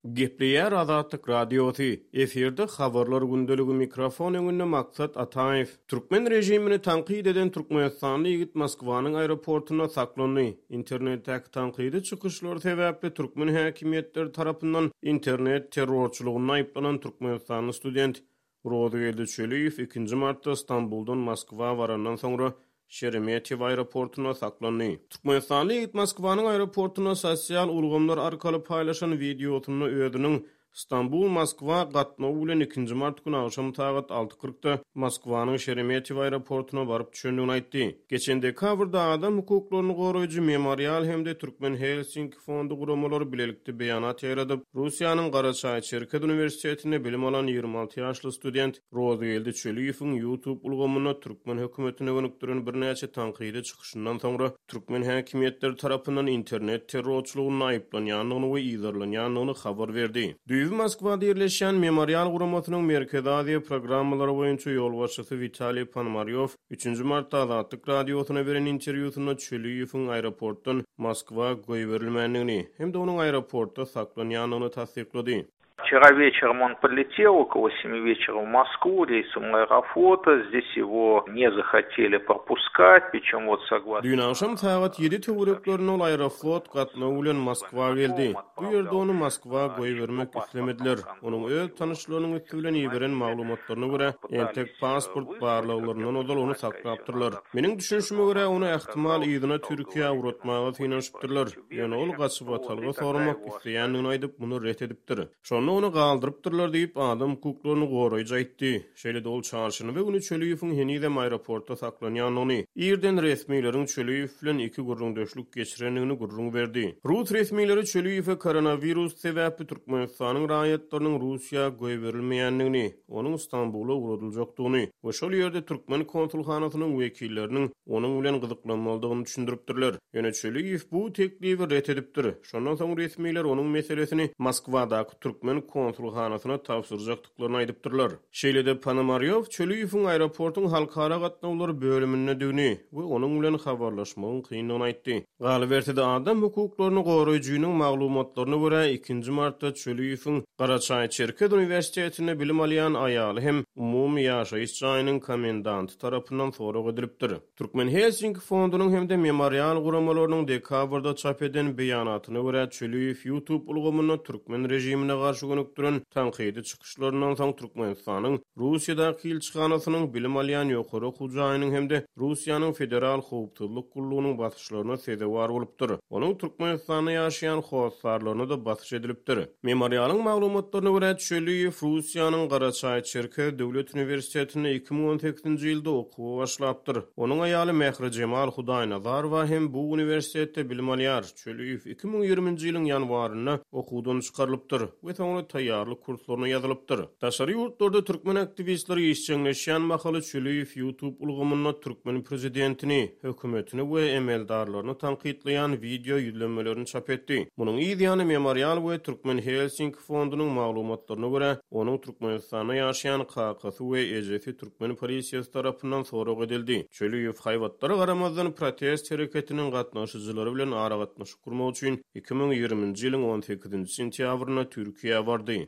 Gepleýär Azatlyk Radiosy, efirde Habarlar gündeligi mikrofon öňünde Maksat Ataýew. Türkmen režimini tankyt eden türkmenistanly ýigit Moskwanyň aeroportynda saklandy. Internetdäki tankydy çykyşlary sebäpli türkmen häkimiýetleri tarapyndan internet terrorçylygynda aýyplanan türkmenistanly student Rozygeldi Çöliýew ikinji martda Stambuldan Moskwa barandan soňra Şeremetýewo aeroportynda saklandy. Türkmenistanly ýigit Moskwanyň aeroportynda sosial ulgamlar arkaly paýlaşan wideosynda özüniň Stambul-Moskwa gatnawy bilen ikinji mart güni agşam sagat alty kyrkda Moskwanyň Şeremetýewo aeroportuna baryp düşendigini aýtdy. Geçen dekabrda adam hukuklaryny goraýjy Memorial hem-de Türkmen Helsinki Fondy guramalary bilelikde beýanat ýaýradyp, Russiýanyň Garaçaý-Çerkez uniwersitetinde bilim alan 26 ýaşly student Rozygeldi Çöliýewiň YouTube ulgamynda türkmen hökümetine gönükdiren birnäçe tankydy çykyşyndan soňra türkmen häkimiýetleri tarapyndan internet terrorçylygynda aýyplanýandygyny we yzarlanýandygyny habar berdi. Düýbi Moskwada ýerleşýän Memorial guramasynyň Merkezi Aziýa programmalary boýunça ýolbaşçysy Witaliý Ponomarýow Üçünji martda Azatlyk Radiosyna beren interwýusynda Çöliýewiň aeroportdan Moskwa goýberilmändigini hem-de onuň aeroportda saklanýandygyny tassyklady. Wçera weçerом on podletел okolo semi weçera w Moskwu reýsom Aeroflota, zdes ýego ne zahateli propuskat, priçem wot soglasno. Düýn agşam sagat ýedi töwereklerinde ol Aeroflot gatnawy bilen Moskwa geldi. Bu ýerde ony Moskwa goýbermek islemediler. Onuň öz tanyşlarynyň üsti bilen iberen maglumatlaryna görä, entek pasport barlaglaryndan ozal ony saklapdyrlar. Meniň düşünişime görä, ony ähtimal yzyna Türkiýä ugratmaga synanyşypdyrlar. Ýöne ol gaçybatalga soramak isleýändigini aýdyp, muny ret edipdir. Şonda ony galdyrypdyrlar diýip, adam hukuklaryny goraýjy aýtdy. Şeýle-de ol çarşenbe güni Çöliýewiň henizem aeroportda saklanýandygyny, irden resmileriň Çöliýew bilen iki gürrüňdeşlik geçirendigini gürrüň berdi. Rus resmileri Çöliýewe koronawirus sebäpli Türkmenistanyň raýatlarynyň Russiýa goýberilmeýändigini, onuň Stambula ugradyljakdygyny we şol ýerde türkmen konsulhanasynyň wekilleriniň onuň bilen gyzyklanmalydygyny düşündiripdirler. Ýöne Çöliýew bu teklibi ret edipdir. Şondan soň resmiler onuň meselesini Moskwadaky türkmen konsulhanasyna tabşyrjakdyklaryny dyklaryny aýdypdyrlar. Şeýle-de Ponomarýow Çöliýewiň aeroportuň halkara gatnawlary bölümindedigini we onuň bilen habarlaşmagyň kyndygyny aýtdy. Galyberse-de, adam hukuklaryny goraýjynyň maglumatlaryna görä, ikinji martda Çöliýewiň Garaçaý-Çerkez uniwersitetinde bilim alýan aýaly hem umumy ýaşaýyş jaýynyň komendanty tarapyndan sorag edilipdir. Türkmen Helsinki fondunyň hem-de Memorial guramalarynyň dekabrda çap eden beýanatyna görä, Çüliýew YouTube ulgamynda türkmen režimine garşy gönükdiren tankydy çykyşlaryndan soň Türkmenistanyň Russiýadaky ilçihanasynyň, bilim alýan ýokary okuw jaýynyň hem-de Russiýanyň Federal howpsuzlyk gullugynyň basyşlaryna sezewar bolupdyr. Onuň Türkmenistanda ýaşaýan hossarlaryna-da basyş edilipdir. Memorialyň maglumatlaryna görä, Çöliýew Russiýanyň Garaçaý-Çerkez döwlet uniwersitetinde 2018-nji ýylda okuwa başlapdyr. Onuň aýaly Mährijemal Hudaýnazarowa hem bu uniwersitetde bilim alýar. Çöliýew 2020-nji ýylyň ýanwarynda okuwdan çykarylypdyr we soňra taýýarlyk kurslaryna ýazylypdyr. Daşary ýurtlarda türkmen aktiwistleri işjeňleşýän mahaly Çöliýew YouTube ulgamynda türkmen prezidentini, hökümetini we emeldarlaryny tankytlaýan wideo ýüzlenmelerini çap etdi. Munuň yz ýany Memorial we Türkmen Helsinki fondunyň maglumatlaryna görä, onuň Türkmenistanda ýaşaýan kakasy we ejesi türkmen polisiýasy tarapyndan sorag edildi. Çöliýew haýbatlara garamazdan protest hereketiniň gatnaşyjylary bilen aragatnaşyk gurmak üçin 2020-nji ýylyň on sekizinji sentýabrynda Türkiýä bardy.